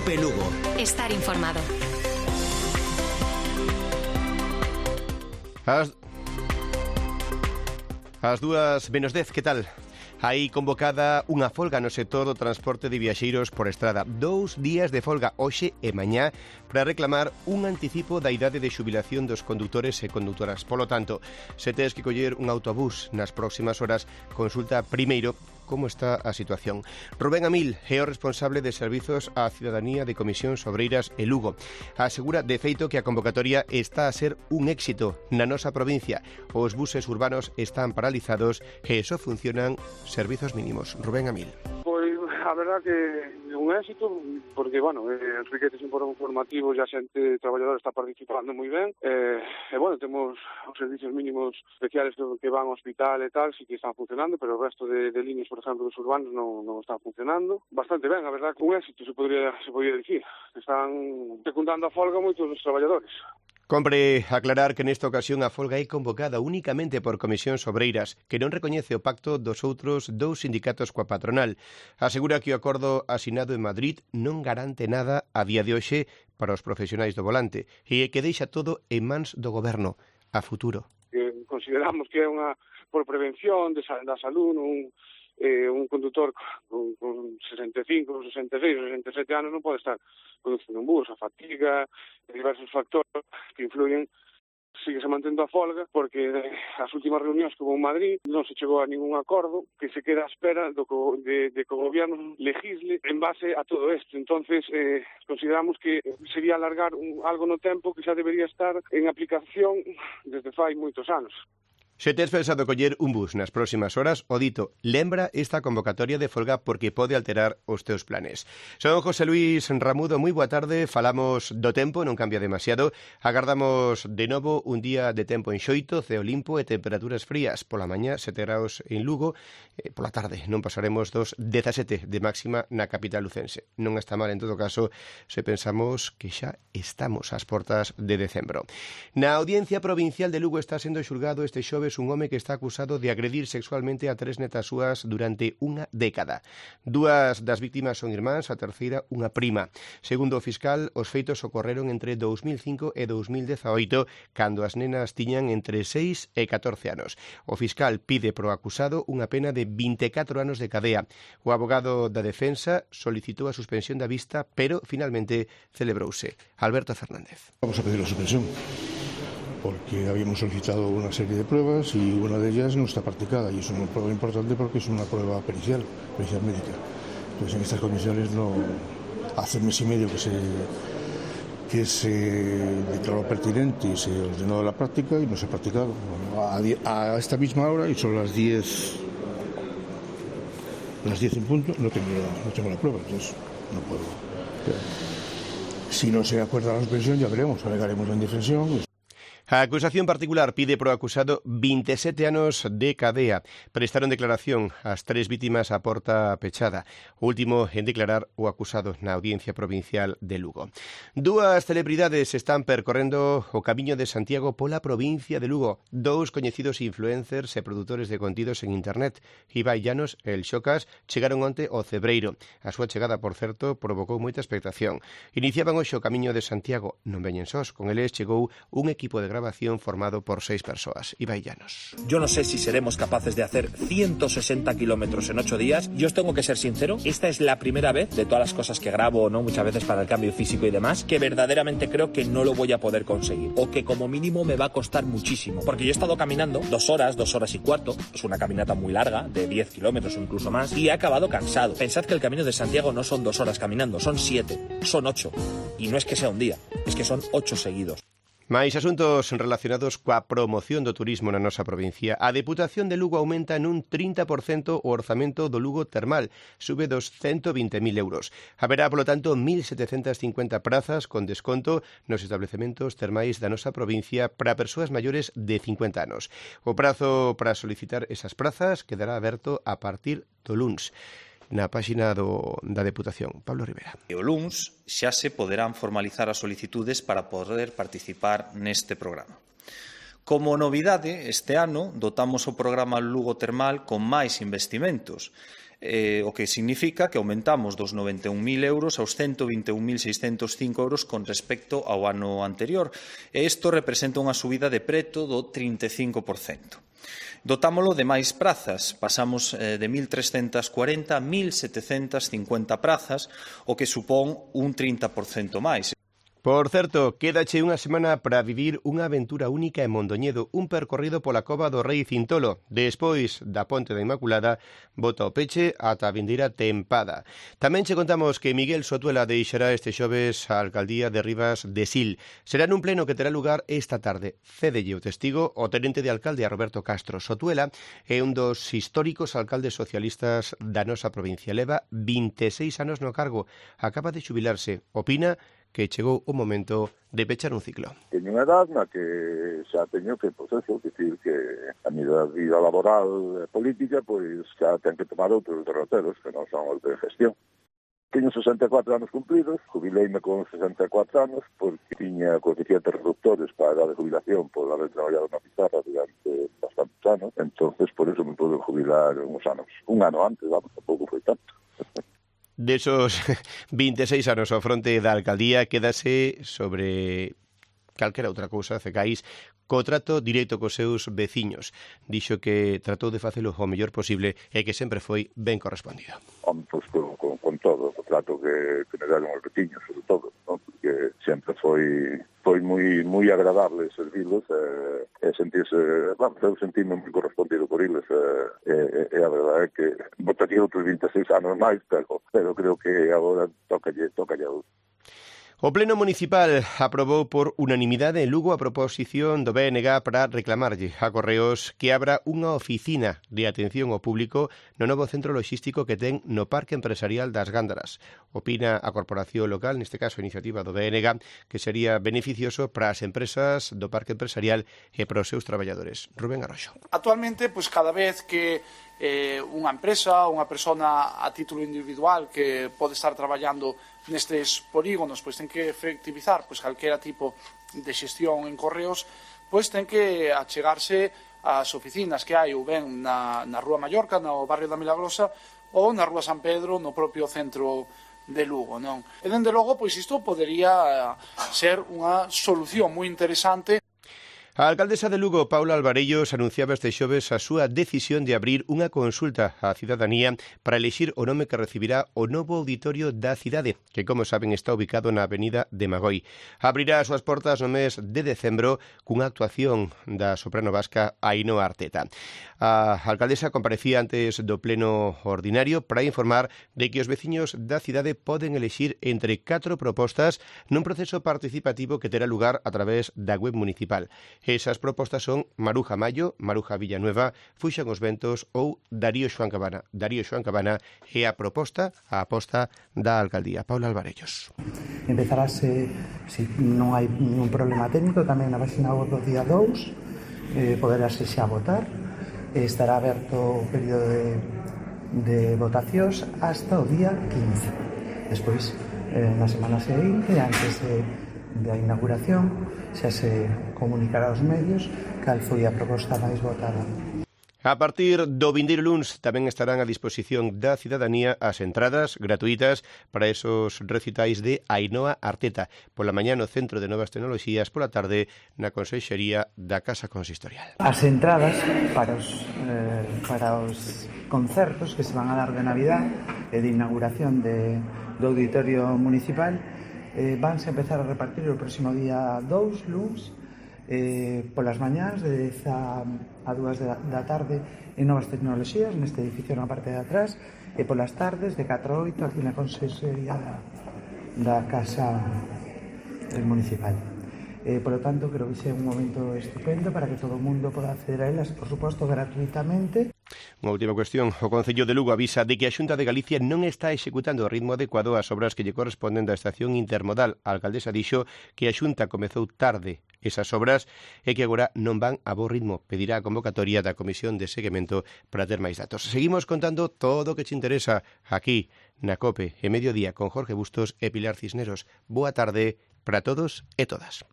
Cope Lugo. Estar informado. As 2:10, que tal? Hai convocada unha folga no sector do transporte de viaxeiros por estrada. 2 días de folga hoxe e mañá para reclamar un anticipo da idade de xubilación dos condutores e condutoras. Polo tanto, se tes que coller un autobús nas próximas horas, consulta primeiro como está a situación. Rubén Amil é o responsable de Servizos á Cidadanía de Comisións Obreiras e Lugo. Asegura, de feito, que a convocatoria está a ser un éxito na nosa provincia. Os buses urbanos están paralizados e só funcionan servizos mínimos. Rubén Amil. Pois a verdad que é un éxito porque, enriquece informativos e a xente traballadora está participando moi ben temos os servicios mínimos especiales que van ao hospital e tal, sí que están funcionando, pero o resto de líneas, por exemplo, dos urbanos non están funcionando bastante ben, a verdad que un éxito se podría dicir. Están secundando a folga moitos dos traballadores. Compre aclarar que nesta ocasión a folga é convocada únicamente por comisións obreiras, que non recoñece o pacto dos outros dous sindicatos coa patronal. Asegura que o acordo asinado en Madrid non garante nada a día de hoxe para os profesionais do volante e que deixa todo en mans do goberno a futuro. Consideramos que é unha por prevención da salud, un condutor con 65, 66, 67 anos non pode estar conducindo un bus, a fatiga, diversos factores que influyen. Sigue se mantendo a folga porque as últimas reunións que houve en Madrid non se chegou a ningún acordo, que se queda a espera de que o goberno legisle en base a todo isto. Entonces, consideramos que sería alargar algo no tempo que xa debería estar en aplicación desde fai moitos anos. Se tes pensado coller un bus nas próximas horas, o dito, lembra esta convocatoria de folga porque pode alterar os teus planes. Son José Luis Ramudo, moi boa tarde, falamos do tempo, non cambia demasiado, agardamos de novo un día de tempo enxoito, ceo limpo e temperaturas frías, pola mañá 7 graus en Lugo, pola tarde non pasaremos dos 17 de máxima na capital lucense. Non está mal en todo caso se pensamos que xa estamos ás portas de decembro. Na Audiencia Provincial de Lugo está sendo xulgado este xoves un home que está acusado de agredir sexualmente a 3 netas súas durante unha década. 2 das víctimas son irmáns, a terceira unha prima. Segundo o fiscal, os feitos ocorreron entre 2005 e 2018, cando as nenas tiñan entre 6 e 14 anos. O fiscal pide pro acusado unha pena de 24 anos de cadea. O abogado da defensa solicitou a suspensión da vista, pero finalmente celebrouse. Alberto Fernández. Vamos a pedir la suspensión, porque habíamos solicitado una serie de pruebas y una de ellas no está practicada, y es una prueba importante porque es una prueba pericial médica. Entonces, en estas condiciones, no hace mes y medio que se declaró pertinente y se ordenó la práctica y no se ha practicado. A esta misma hora, y son las 10 en punto, no tengo la prueba, entonces no puedo. Si no se acuerda la suspensión, ya veremos, alegaremos la indefensión. A acusación particular pide pro acusado 27 anos de cadea. Prestaron declaración as 3 vítimas a porta pechada. O último en declarar o acusado na Audiencia Provincial de Lugo. 2 celebridades están percorrendo o Camiño de Santiago pola provincia de Lugo. 2 coñecidos influencers e produtores de contidos en internet. Ibai Llanos e El Xocas chegaron onte ao Cebreiro. A súa chegada, por certo, provocou moita expectación. Iniciaban hoxe o Camiño de Santiago. Non veñen sós. Con eles chegou un equipo de grabación formado por 6 persoas. Ibai Llanos. Yo no sé si seremos capaces de hacer 160 kilómetros en 8 días. Yo os tengo que ser sincero, esta es la primera vez de todas las cosas que grabo, ¿no? Muchas veces para el cambio físico y demás, que verdaderamente creo que no lo voy a poder conseguir. O que como mínimo me va a costar muchísimo. Porque yo he estado caminando 2 horas y cuarto. Es una caminata muy larga, de 10 kilómetros o incluso más. Y he acabado cansado. Pensad que el Camino de Santiago no son 2 horas caminando, son 7, son 8. Y no es que sea un día, es que son 8 seguidos. Mais asuntos relacionados coa promoción do turismo na nosa provincia. A Deputación de Lugo aumenta nun 30% o orzamento do Lugo Termal, sube dos 120.000 euros. Haberá, polo tanto, 1.750 prazas con desconto nos establecementos termais da nosa provincia para persoas maiores de 50 anos. O prazo para solicitar esas prazas quedará aberto a partir do luns. Na páxina da Deputación. Pablo Rivera. O luns xa se poderán formalizar as solicitudes para poder participar neste programa. Como novidade, este ano dotamos o programa Lugo Termal con máis investimentos, o que significa que aumentamos dos 91.000 euros aos 121.605 euros con respecto ao ano anterior. E isto representa unha subida de preto do 35%. Dotámolo de máis prazas, pasamos de 1.340 a 1.750 prazas, o que supón un 30% máis. Por certo, quédache unha semana para vivir unha aventura única en Mondoñedo, un percorrido pola cova do Rei Cintolo. Despois da Ponte da Inmaculada, bota o peche ata a vindeira tempada. Tamén che contamos que Miguel Sotuela deixará este xoves a alcaldía de Rivas de Sil. Será nun pleno que terá lugar esta tarde. Cédelle o testigo o tenente de alcalde a Roberto Castro. Sotuela é un dos históricos alcaldes socialistas da nosa provincia. Leva 26 anos no cargo. Acaba de xubilarse. Opina que chegou o momento de pechar un ciclo. Teño unha edad na que xa teño que, pois eso, decir que a miña vida laboral e política, pois xa ten que tomar outros derroteros que non son os de gestión. Teño 64 anos cumplidos, jubileime con 64 anos, porque tiña coeficientes reductores para a edad de jubilación por haber traballado na pizarra durante bastantes anos, entonces por eso me pude jubilar uns anos. Un ano antes, vamos, tampouco foi tanto. Desos 26 anos ao fronte da alcaldía, quédase sobre calquera outra cousa, Cecais, co trato directo cos seus veciños. Dixo que tratou de facelo o mellor posible e que sempre foi ben correspondido. Pois con todo, o trato que me deron os veciños, sobre todo, ¿no? Porque sempre foi moi agradable servirlos e sentirse, vamos, eu sentime moi correspondido por eles e a verdade é que botaría outros 26 anos máis, pero creo que agora tocalle outro. O Pleno Municipal aprobou por unanimidade en Lugo a proposición do BNG para reclamarlle a Correos que abra unha oficina de atención ao público no novo centro logístico que ten no Parque Empresarial das Gándaras. Opina a corporación local, neste caso a iniciativa do BNG, que sería beneficioso para as empresas do Parque Empresarial e para os seus traballadores. Rubén Arroxo. Actualmente, pois cada vez que unha empresa, unha persona a título individual que pode estar traballando nestes polígonos, pois ten que efectivizar pois calquera tipo de xestión en Correos, pois ten que achegarse ás oficinas que hai ou ben na Rúa Mallorca, no barrio da Milagrosa, ou na Rúa San Pedro, no propio centro de Lugo, non? E dende logo, pois isto podería ser unha solución moi interesante. A alcaldesa de Lugo, Paula Alvarellos, anunciaba este xoves a súa decisión de abrir unha consulta á cidadanía para elixir o nome que recibirá o novo auditorio da cidade, que, como saben, está ubicado na avenida de Magoi. Abrirá as súas portas no mes de decembro cunha actuación da soprano vasca Ainhoa Arteta. A alcaldesa comparecía antes do pleno ordinario para informar de que os veciños da cidade poden elixir entre 4 propostas nun proceso participativo que terá lugar a través da web municipal. Esas propostas son Maruja Mayo, Maruja Villanueva, Fuxan os Ventos ou Darío Xoán Cabana. Darío Xoán Cabana é a proposta, a aposta da alcaldía. Paula Alvarellos. Empezarase, se non hai ningún problema técnico, tamén na página web do día 2, poderase xa votar. Estará aberto o período de votacións hasta o día 15. Despois, na semana seguinte, antes da inauguración, xa se comunicará aos medios cal foi a proposta máis votada. A partir do vindeiro luns tamén estarán a disposición da cidadanía as entradas gratuitas para esos recitais de Ainhoa Arteta. Pola mañá no Centro de Novas Tecnoloxías, pola tarde na Consellería da Casa Consistorial. As entradas para os concertos que se van a dar de Navidad e de inauguración do Auditorio Municipal vanse empezar a repartir o próximo día 2, luns, polas mañás de 10 a 2 da tarde en Novas Tecnoloxías, neste edificio na parte de atrás, e polas tardes de 4 a 8 aquí na Consellería da Casa Municipal. Por lo tanto, creo que é un momento estupendo para que todo o mundo poda acceder a elas, por suposto, gratuitamente. Unha última cuestión. O Concello de Lugo avisa de que a Xunta de Galicia non está executando o ritmo adecuado ás obras que lle corresponden da estación intermodal. A alcaldesa dixo que a Xunta comezou tarde esas obras e que agora non van a bo ritmo. Pedirá a convocatoria da Comisión de Seguimento para ter máis datos. Seguimos contando todo o que te interesa aquí na COPE e Mediodía con Jorge Bustos e Pilar Cisneros. Boa tarde para todos e todas.